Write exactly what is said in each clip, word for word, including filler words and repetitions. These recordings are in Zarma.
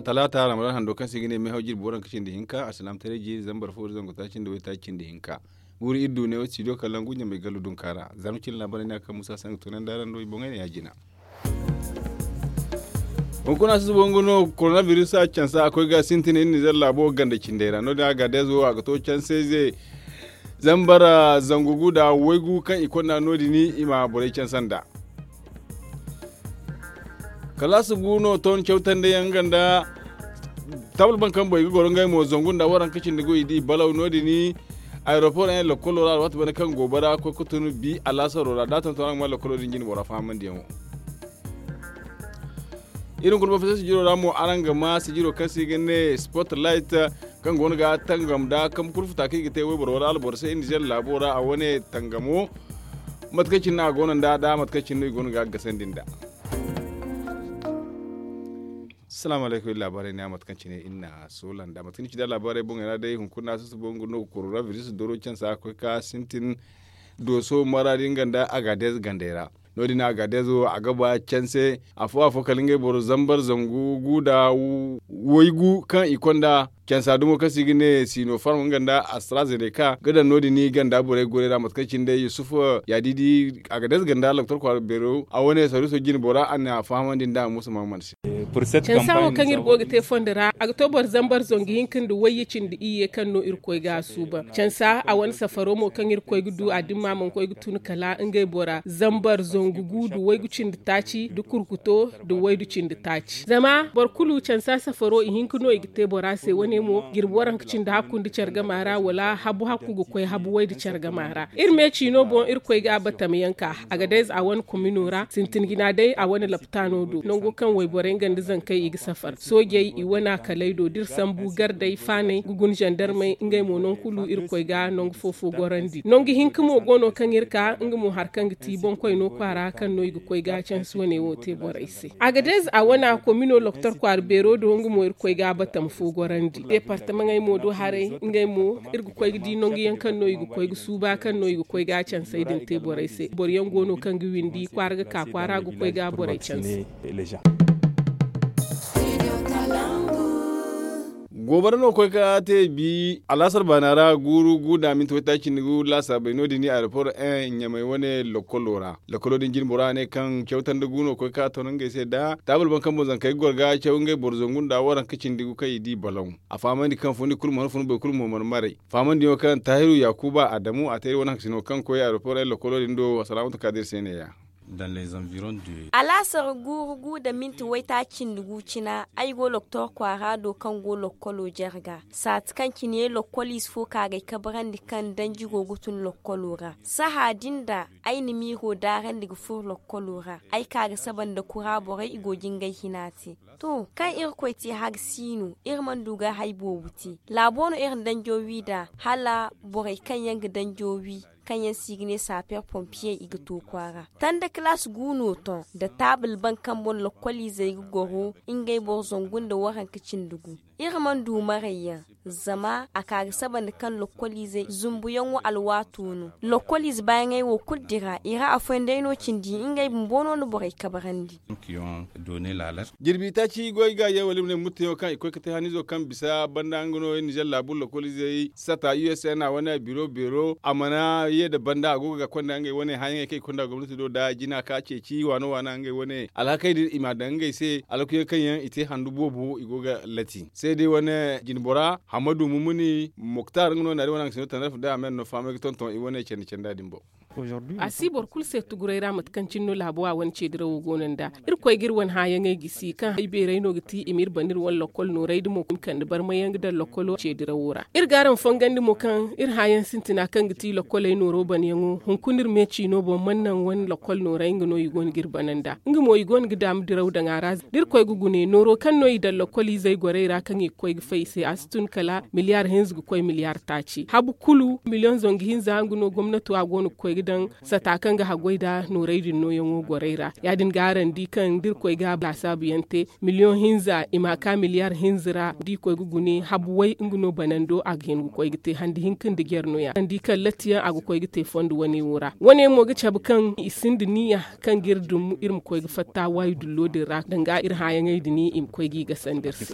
Talaata ramadan hando kaŋ se i ga ne meehaw jirbi waranka cindi hinka alsilaamataray jiiri zambar fo da zangu taaci nda waytaaci cindi hinka. Guuru iri du ne wo studio kalangu ɲamay gallu dunka ra zarma cine laabaarey no ya kaŋ musa sanga tunandi araŋ do i boŋey no ya- jina. Hunkuna susubo nga no koronabiris a cansa a koy ga sintin iri nizer laabo ganda cindey ra no- din a ga deezo a ga to cansayze. Zambar zangu gu nda waygu kaŋ i konda no- din i ma borey cansa nd'a. Kalaasi gu no ton cawtandi yaŋ nga nda taabul baŋ kaŋ boŋ i ga goro ngey mo zangu nda waranka cindi gu i di balaw no- din. Aeroport yaŋ lakkolo ra alwaati banda kaŋ goobara koy ga tun bi alaasaro ra da a tonton araŋ ga ma lakkolo din jine bora fahamandiyaŋo. Iri hunkuna bafisa sijiro ra mo araŋ ga ma sijiro kaŋ se i ga ne sport light kaŋ go no ga tangam nda kambe kulu futa kaŋ i ga te wayboro wala alboro se iri nizer laabo ra a wane tangamo. Mate kaŋ cine no a go no nd'a da mate kaŋ cine no i go no ga gasandi nd'a. Salaamu alaykum iri laabaarey ne a mate kaŋ cine iri na soola nd'a mate kaŋ ni ci nd'a laabaarey boŋey ra day hunkuna susubo nga no ga koronabiris doro cansa a ga koy ka sintin dooso maraadi nga nda agadeez gandey ra. No- din agadeez wo a ga ba canse afo afo kala ngey boro zambar zangu gu nda waygu kaŋ i konda cansa dumo kaŋ se i ga ne sinofarm nga nda astrazeneka ga daŋ no- din i ganda borey goray ra mate kaŋ cine day yusuf yaadidi agadeez ganda loktor kwaara beero a wane sariiso jine bora a na fahamandi nd'a musa mahammad se. Cansa wo kaŋ iri go ga te fondo ra a ga to boro zambar zangu hinka nda wayye cindi iyye kaŋ no irkoy ga a suuban cansa a wane safaro mo kaŋ irkoy ga du a dimma mana koy ga tun kala ngey bora zambar zangu gu nda waygu cindi taaci nda kurkuto nda waydu cindi taaci zama boro kulu cansa safaro i hinka no i ga te bora se wane mo jirbi waranka cindi hakku nda care gama ra wala habu hakku ga koy habu waydu care gama ra iri me ciino boŋ irkoy ga a batam yaŋ ka a ga day za a wane komino ra sintin jina day a wane laptaano do nango kaŋ wayborey nga nda zankey i ga safar soojey i wane a kalay do da iri sambu gardey faaney ga guna zandarmey ngey mo nangu kulu irkoy ga nangu fo fo gorandi nangu hinka mo go no kaŋ iri ka nga mo hari kaŋ ga ti boŋkoyno kwaara kaŋ no i ga koy ga cansi wane wo te borey se a ga day za a wane a komino loktor kwaara beero do nga mo irkoy ga a batam fo gorandi deepartamaŋey mo do haray ngey mo iri ga koy ga di nangu yaŋ kaŋ no i ga koy ga suuba kaŋ no i ga koy ga cansey din te borey se boro yaŋ go no kaŋ ga windi kwaara ga ka kwaara ga koy ga borey canse. Goobara no koy ka te bi alaasar baana ra guuru gu nda minti waytaaci cindi gu laasaabey no- din aeroport en ɲamay wane lokkolo ra lokkolo din jine bora ne kaŋ cawtandi gu no koy ka ton ngey se da taabul baŋ kaŋ boŋ zankey ga goro ga caw ngey boro zangu nda waranka cindi gu kaŋ i di balaŋ a fahamandi kaŋ fundi kulu mana fun boro kulu mo mana maray fahamandiyaŋo kaŋ tahiru yakuba adamu a te iri wane hankasino kaŋ koy aeroport en lokkolo din do salaamatu kadir se ne- ya. Alaasar guuru gu nda minti waytaaci cindi gu cina ay go loktor kwaara do kaŋ go lokkolo jarga saati kaŋ cine lokkoliize fo kaagay kabarandi kaŋ danji go ga tun lokkolo ra saha din da ay na miiro daarandi ga furo lokkolo ra ay ka ga saba nda kura borey i go ga ngey hina te to kaŋ irkoy te hari si no iri mana du ga hari boobo te laabo no iri na danjo wi nd'a hala borey kaŋ yaŋ ga danjo wi kaŋ yaŋ se i ga ne saaper pompiyey i ga to kwaara tanda kalaasi gu no ton nda taabul baŋ kaŋ boŋ lokkoliizey ga goro ngey boro zangu nda waranka cindi gu iri mana du maray yaŋ zama a ka ga saba nda kaŋ lokkoliizey zumbuyaŋo alwaato no lokkoliize baayaŋey wo kulu dira i ra afooyaŋ day no cindi ngey bumbo no na borey kabarandi. Jirbi taaci goy ga ye wala i ma ne murtayaŋo kaŋ i koy ga te hanizo kaŋ bisa banda nga no nizer laabu lokkoliizey sata usn a wane biro beero a mana ye nda banda a go ga konda ngey wane hããyaŋey kaŋ i konda gomnati do nda jina ka ceeci waano waana ngey wane alhakey din i m'a daŋ ngey se alhakuyaŋ kaŋ yaŋ i te handu boobo i go ga lati se day wane jinbora hammadu mumuni moktar nga no naari wane haŋ sino tandarfu day a me no fahamay ga tonton i wane candi canda din boŋ. A si boro kulu se tuguray ra mate kaŋ cine no laabo a wane ceedirawo go no nd'a. Irkoy ga iri wane hããyaŋey gisi kaŋ hari beerey no ga ti i ma iri bana iri wane lokkol nooray da mo kaŋ i ma kande barmayaŋ ga daŋ lokkolo ceedirawo ra iri ga araŋ fongandi mo kaŋ iri hããyaŋ sintina kaŋ ga ti lokkoley nooro banayaŋo hunkuna iri me ciino boŋ mana naŋ wane lokkol nooray nga no i go no ga iri bana nd'a nga mo i go no ga daama diraw daŋ a ra da irkoy ga gune nooro kaŋ no i daŋ lokkoliizey gorey ra kaŋ i ga koy ga fay i se a si tun kala miliyaar hinza ga koy miliyaar taaci habu kulu miliyoŋ zangu hinza nga no gomnato a go no ga koy ga daŋ sata kaŋ ga haggoy nda nooray din nooyaŋo gorey ra. Ya- din ga araŋ di kaŋ da irkoy ga laasaabu yaŋ te miliyoŋ hinza i ma a ka miliyar hinza ra da i koy ga gune habu way nga no banando a ga hin ga koy ga te handi hinka nda jare no- ya araŋ di kaŋ latti yaŋ a ga koy ga te fondo wane wo ra. Wane mo ga cabe kaŋ i sinda niya kaŋ ga iri dum iri ma koy ga fatta waayi dullo din ra danga iri hããyaŋey din i ma koy g'i gasandi iri se.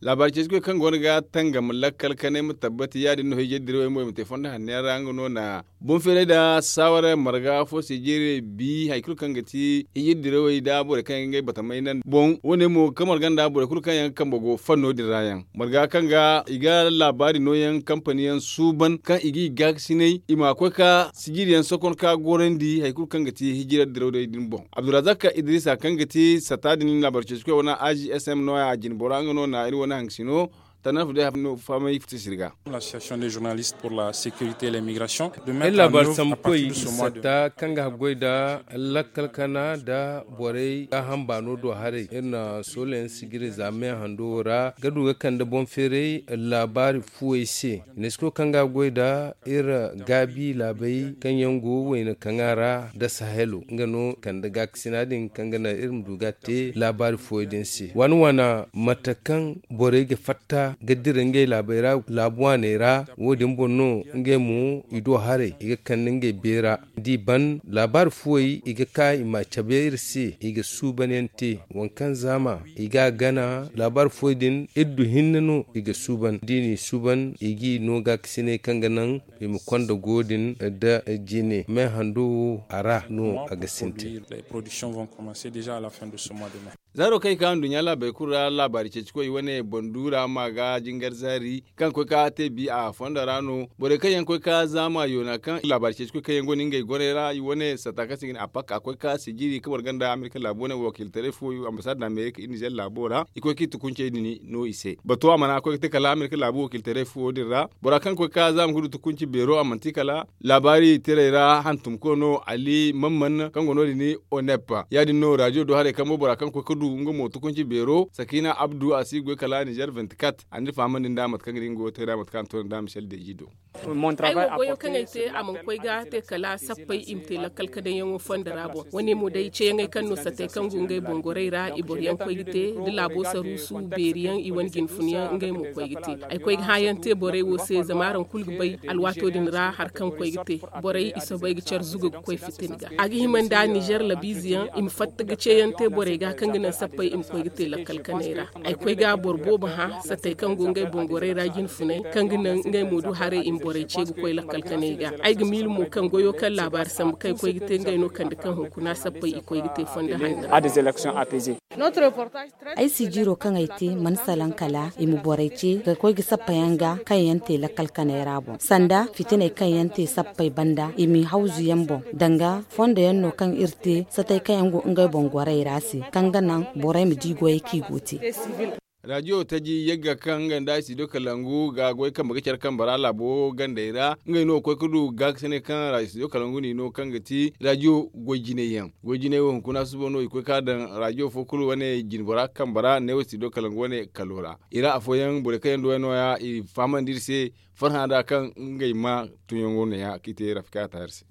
Laabaari ceeci koy kaŋ go no ga tangam lakkal kanay ma tabbati ya- din no hijir dirawey mo i ma te fondo hanno yaŋ ra nga no na boŋ feeray nda saawara marga fo se jire bi hari kulu kaŋ ga ti hijir dirawey nda borey kaŋ yaŋ ga ngey batamay naŋ boŋ wane mo ga marga nda borey kulu kaŋ yaŋ kambe go fanno din ra yaŋ marga kaŋ ga i ga laabaari nooyaŋ kampani yaŋ suuban kaŋ i g'i gaakasinay i ma koy ka sijiri yaŋ sokon ka gorandi hari kulu kaŋ ga ti hijira dirawey din boŋ. Abdulrazak idrisa kaŋ ga ti sata din laabaari ceeci koy wane a g s m no- ya jinbora nga no na iri wane hangasino tanarfu day fahamay fiti sirga. Iri laabaari sambu koy iri satta kaŋ ga haggoy nda lakkal kana nda borey gaaham baano do haray iri na soolayaŋ sijiri za me hando wo ra ga du ga kande boŋ feeray laabaari fuwey se. Nesko kaŋ ga goy nda iri gaabi laabey kaŋ yaŋ go wayna kaŋa ra nda sahelo nga no kande gaakasina din kaŋ ga naŋ iri ma du ga te laabaari fuwey din se waana waana mate kaŋ borey ga fatta ga dira ngey laabey ra laabu waaney ra wo- din boŋ no ngey mo i do haray i ga kande ngey beera. D'i ban laabaari fuwey i ga ka i ma cabe iri se i ga suuban yaŋ te waŋ kaŋ zaama i ga a gana laabaari fuwey din iri du hinne no i ga suuban d'i n'i suuban i g'i no gaakasinay kaŋ ga naŋ i ma konda go din nda jine me hando wo a ra no a ga sintin. Zaaro kaŋ i ka nduɲɲa laabey kulu ra laabaari ceeci koy wane banduura ma ga jingar zaari kaŋ koy ka te bi a fondo ra no borey kaŋ yaŋ koy ka zaama yoona kaŋ laabaari ceeci koy kaŋ yaŋ go no ngey gorey ra i wane sata kaŋ se ga ne a pak a koy ka sijiri ka boro ganda amerika laabu wane wakiiltaray fo ambasaad amerika iri nizer laabo ra i koy ka i tukuncey din no i se bato a mana koy ga te kala amerika laabu wakiiltaray fo din ra bora kaŋ koy ka zaama ga du tukunci beero a manti kala laabaari tirey ra hantumko no ali mamman kaŋ go no- din onep ya- din no radio do haray kambo bora kaŋ koy ga du nga mo tukunci beero sakina abdu a si ga goy kala nizer vingt-quatre a n'iri fahamandi nda mate kaŋ ga di nga go ga te da mate kaŋ a na to nda michel deji do. Ay wo goyo kaŋ ay te a mana koy ga te kala sappey i ma te lakkal ka daŋ yaŋo fondo ra boŋ wane mo day ceeyaŋey kaŋ no satey kaŋ go ngey boŋ gorey ra i boro yaŋ koy ga te da laabo saruusu beeri yaŋ i wane jinfun yaŋ ngey mo koy ga te. Ay koy ga hã yaŋ te borey wo se zama araŋ kulu ga bay alwaato din ra hari kaŋ koy ga te borey i soobay ga care zuga ga koy fitina ga a ga hima nda nizer labiize yaŋ i ma fatta ga ceeyaŋ te borey ga kaŋ ga naŋ sappey i ma koy ga te lakkal kanay ra. Ay koy ga boro boobo hã satey kaŋ go ngey boŋ gorey ra jinfunay kaŋ ga naŋ ngey mo du haray i ma borey ce ga koy lakkal kanay ga. Ay ga miila mo kaŋ goyo kaŋ laabaari sambu kaŋ ay koy ga te ngey no kande kaŋ hunkuna sappey i koy ga te fondo hanno ra. Ay si jiiro kaŋ ay te mana salaŋ kala i ma borey ce ga koy ga sappa yaŋ ga kaŋ yaŋ te lakkal kanay ra boŋ sanda fitiney kaŋ yaŋ te sappey banda i m'i hawzu yaŋ boŋ danga fondo yaŋ no kaŋ iri te satey kaŋ yaŋ go ngey boŋ gorey ra se kaŋ ga naŋ borey ma di goyey kaŋ i go te. Rajiyo taji yagga kaŋ nga nda studio kalangu ga goy kambe ga care kambe ra laabo gandey ra ngey no ga koy ga du gaakasinay kaŋ ra studio kalangu n'i no kaŋ ga ti rajiyo goy jinay yaŋ. Goy jinay wo hunkuna suba no i koy ka daŋ rajiyo fo kulu wane jinbora kambe ra neewo studio kalangu wane kalo ra i ra afooyaŋ borey kaŋ yaŋ du wayno ya i fahamandi iri se farhã nda kaŋ ngey ma tunyaŋo no ya kaŋ i te rafika taahir se.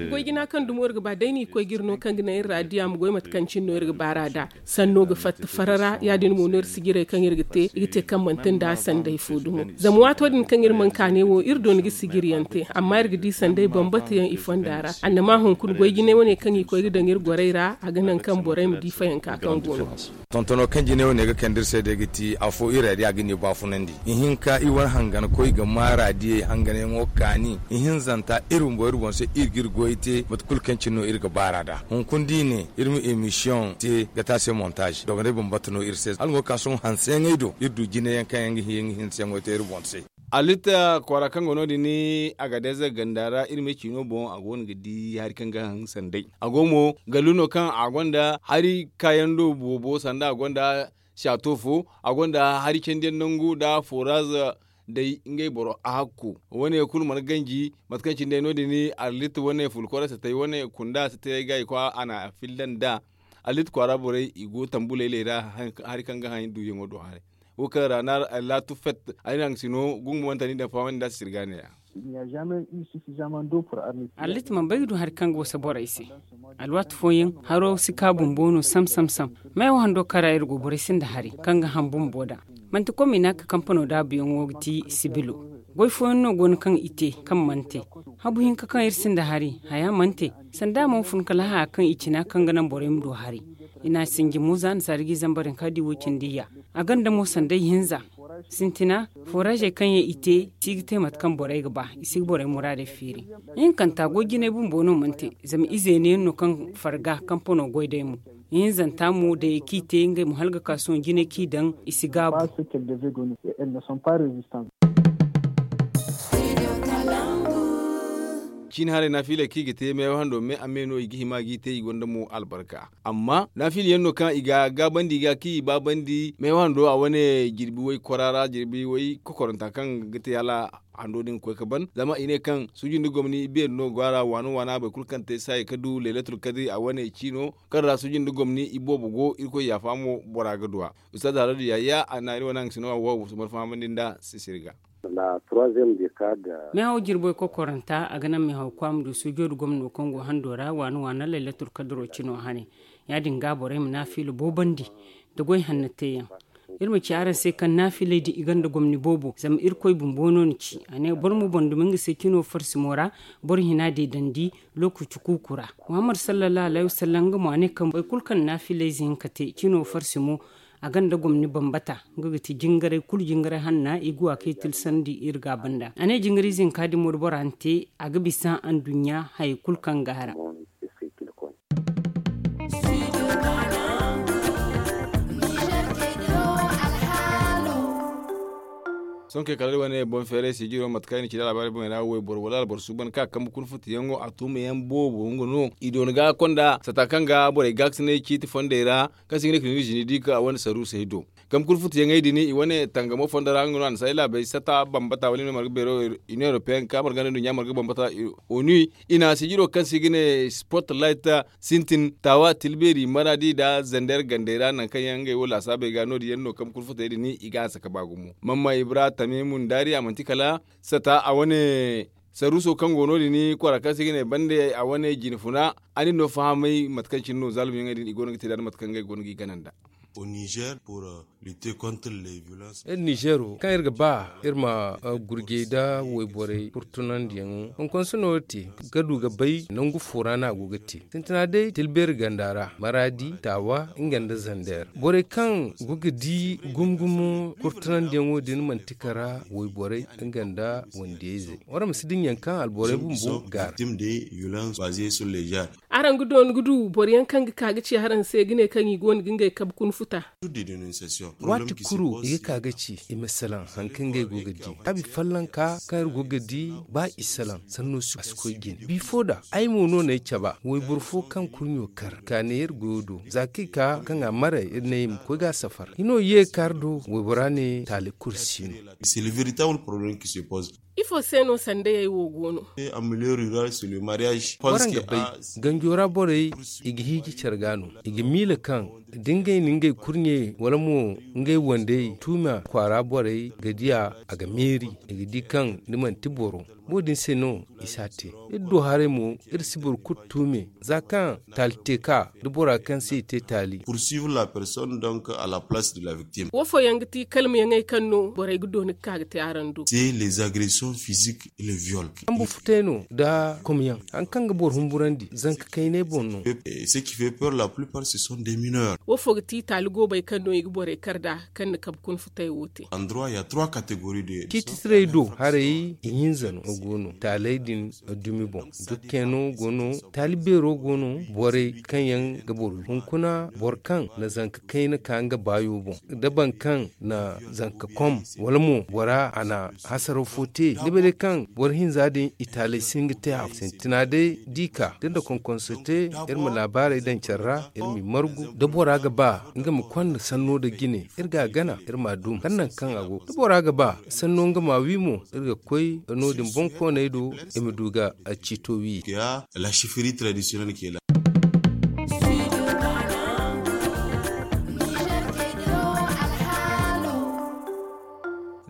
Goy jina kaŋ dumo iri ga ba day no i koy ga iri no kaŋ ga naŋ iri ra diya ma goy mate kaŋ cine no iri ga baar'a nd'a. Sanno ga fatta farara ya- din mo no iri sijirey kaŋ iri ga te i ga te kaŋ manti nda sanday fo dumo. Zama waato din kaŋ iri mana kaanay wo iri doona ga sijiri yaŋ te amma iri ga di sanday bambata yaŋ i fonda ra annama hunkuna goy jinay wane kaŋ i koy ga daŋ iri gorey ra a ga naŋ kaŋ borey ma di fayanka kaŋ go no. Tontono kaŋ jinay wane ga kande iri se day ga ti afo iri ra day a ga ne baafunandi ihinka iri wane hangankoy ga maara diyey hanganyaŋo kaani ihinzanta iri bumbo iri boŋ se iri ga iri goy te mate kulu kaŋ cine no iri ga baara nd'a hunkuna da i ne iri ma emisiyoŋ te ga te a se montaaz dogonay bambata no iri se hala nga ka sohõ hanseyaŋey do iri du jinayaŋ kaŋ yaŋ ga hin ga hinseyaŋo te iri boŋ se. Alitta kwaara kaŋ go no- din agadez ganda ra iri me ciino boŋ a go no ga di hari kaŋ ga haŋ sanday a go mo gallu no kaŋ a gonda hari kaayaŋ do boobo sanda a gonda saato fo a gonda hari candiyaŋ nangu nda foraz day ngey boro a hakku wane kulu mana ganji mate kaŋ cine day no- din alitta wane fulkora satay wane kunda satay ga i kwa a na a filla nd'a. Alitta kwaara borey i go tambu laylay ra hari kaŋ ga haŋ duuyaŋo do haray wo kaŋ ra na laatu fet ay naŋ si no gungumanta ni daŋ fahamandi nda a si sirga ne- ya. Arlit man bay ga du hari kaŋ ga wasa borey se. Alwaati fooyaŋ haro si ka bumbo no sam sam sam. Meewa hando kaŋ ra iri go borey sinda hari kaŋ ga ham bumbo da. Manti komina ka kampano daabuyaŋo ga ti sibilo. Goy fooyaŋ no go no kaŋ i te kaŋ mana te. Habu hinka kaŋ iri sinda hari haya mana te. Sanda a mana fun kala haya kaŋ i cina kaŋ ga naŋ borey ma du hari. I na a sinji mo za nasaara ga i zambar hinka di wo cindi ya. A ganda mo sanda ihinza. Sintina, foraazey kaŋ yaŋ i te si ga te mate kaŋ borey ga ba i si ga borey muraadey feeri. Ihinkanta goy jinay bumbo no mana te. Zama ize ne yaŋ no kaŋ farga kampano goy day mo. Ihinzanta mo day kaŋ i te ngey mo hala ga ka sohõ jinay kaŋ i daŋ i si gaabu. Ciine haray naafiiley kaŋ i ga te meewa hando me a me no i ga hima g'i te i gonda mo albarka. Amma naafiila yaŋ no kaŋ i ga gaabandi ga kaŋ i baabandi meewa hando a wane jirbi way kwara ra jirbi way kokoranta kaŋ ga te hala hando din ga koy ga ban zama i ne kaŋ suuji nda gomni beeri no go a ra waana waana boro kulu kaŋ te saaya ga du leelatul kadri a wane ciino kaŋ ra suuji nda gomni i boobo go irkoy yaafa mo bora ga du a. Ustaaz haradu yahaya a naari wane haŋ ga sino a wo a wo si mana fahamandi nda sisiri ga. Meehaw jirboy kokoranta a ga naŋ meehaw kwaama du suujo nda gomno kaŋ go hando ra waana waana laylatul kadro cino hane. Ya- din ga borey ma naafiila boobandi nda goy hanna teeyaŋ. Iri ma ci araŋ se kaŋ naafiiley din i gonda gomni boobo zama irkoy bumbo no ni ci a ne boro ma boŋ dumi nga se cino farsimo ra. Boro hina deedandi lookaci kuuku ra. Muhammad sallallahu alayhi wasallam nga mo a ne kaŋ boro kulu kaŋ naafiiley ze hinka te cino farsimo a gonda gomni bambata. Nga ga ti jingaray kulu jingaray hanna i ga wa kaŋ i tilsandi iri ga a banda a ne jingaray ize hinka din mo da bora na te a ga bisa anduɲɲa hayey kulu kaŋ ga a ra. Sohõ kay kala iri wane boŋ feeray sijiro mate kaŋ i na ci da albaari boŋey ra wayboro wala alboro suuban kaŋ a kambe kuna futuyaŋo a tuumayaŋ boobo nga no i doona ga konda sata kaŋ ga borey gaakasinay ciiti fondey ra kaŋ se i ga ne ka ni zini di ka a wane saruusey do. Kambe kuna futuyaŋey din i wane tangamo fondo ra nga no a na say laabey sata bambata wala i no marga beero union european ka marga nda nduɲɲa marga bambata onu i na sijiro kaŋ se i ga ne sport light sintin taawa tilbeeri maradi nda zander gandey ra nangu kaŋ yaŋ ngey wo laasaabey ga no- din yaŋ no kaŋ kurfutey din i ga hanse ka ba gumo. Mamma ibra tamimu ndaari a manti kala sata a wane saruuso kaŋ go no- din kwara kaŋ se i ga ne bande a wane jinfuna a nin no fahamay mate kaŋ cine no zaalum yaŋey din i go no ga te nd'a nda mate kaŋ ngey go no ga i gana nd'a. Iri nizeero kaŋ iri ga ba iri ma gurjey nda wayborey kurtunandiyaŋo hunkuna si no iri te ga du ga bay nangu fo ra no a go ga te. Sintina day tilbeeri ganda ra maraadi taawa nga nda zander borey kaŋ go ga di gumo gumo kurtunandiyaŋo din manti kara wayborey nga nda wandiyayzey. Waraŋ ma si dinya kaŋ alborey bumbo gaara. Araŋ ga doona ga du boro yaŋ kaŋ ga ka ga ci araŋ se ga ne kaŋ i go no ga ngey kabe kuna futa. Waati kulu i ga ka ga ci i ma salaŋ hari kaŋ ngey go ga di. Abi folloŋ ka kaŋ iri go ga di ba i salaŋ sanno si koy jine bifo da ay mo no na ay caba wayboro fo kaŋ kurɲo kar ka ne iri goyo do za kaŋ i ka kaŋ a maray iri ne i ma koy ga a safar hino ye kaari do waybora ne taali kulu si no. Ifo se no sandayey wo go no? Waraŋ ga bay ganjo ra borey i ga hiiji care ga no i ga miila kaŋ da ngey na ngey kurɲey wala mo ngey wandey tuuma kwaara borey ga diya a ga meeri i ga di kaŋ ni manti boro. Wo- din se no i si a te. Iri du haray mo iri si boro kulu tuume za kaŋ taali te ka da bora kaŋ se i te taali. Wo fooyaŋ ga ti kalmayaŋey kaŋ no borey ga doona ga ka ga te araŋ do. Kambe futay no nda komyaŋ hari kaŋ ga boro humburandi zanka kaynay boŋ no. Wo fo ga ti taali goobey kaŋ no i ga borey kar nd'a kaŋ na kabe kuna futay wo te. Ciititiray do haray ihinza no go no taaley din dumi boŋ. Dukkeeno go no taali beero go no borey kaŋ yaŋ ga boro hunkuna boro kaŋ na zanka kayna ka nga baayo boŋ da boro kaŋ na zanka kom wala mo bora a na hasaraw fo te ni bay day kaŋ boro hinza din i taaley si hin ga te a fo sintina day da i ka da nda konkonso te iri ma laabaarey daŋ care ra iri m'i margu da bora ga ba nga ma konda sanno nda jine iri ga a gana iri m'a dum kala nangu kaŋ a go da bora ga ba sanno nga m'a wi mo iri ga koy no- din boŋkooney do i ma du ga ciito wi.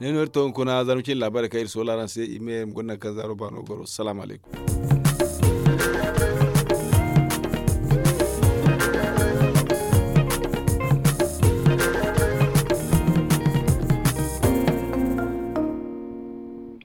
Ne no iri to hunkuna zarma cine laabaarey kaŋ iri soola araŋ se i ma ye ma guna nangu kaŋ zaaro baano goro salaamu alaykum.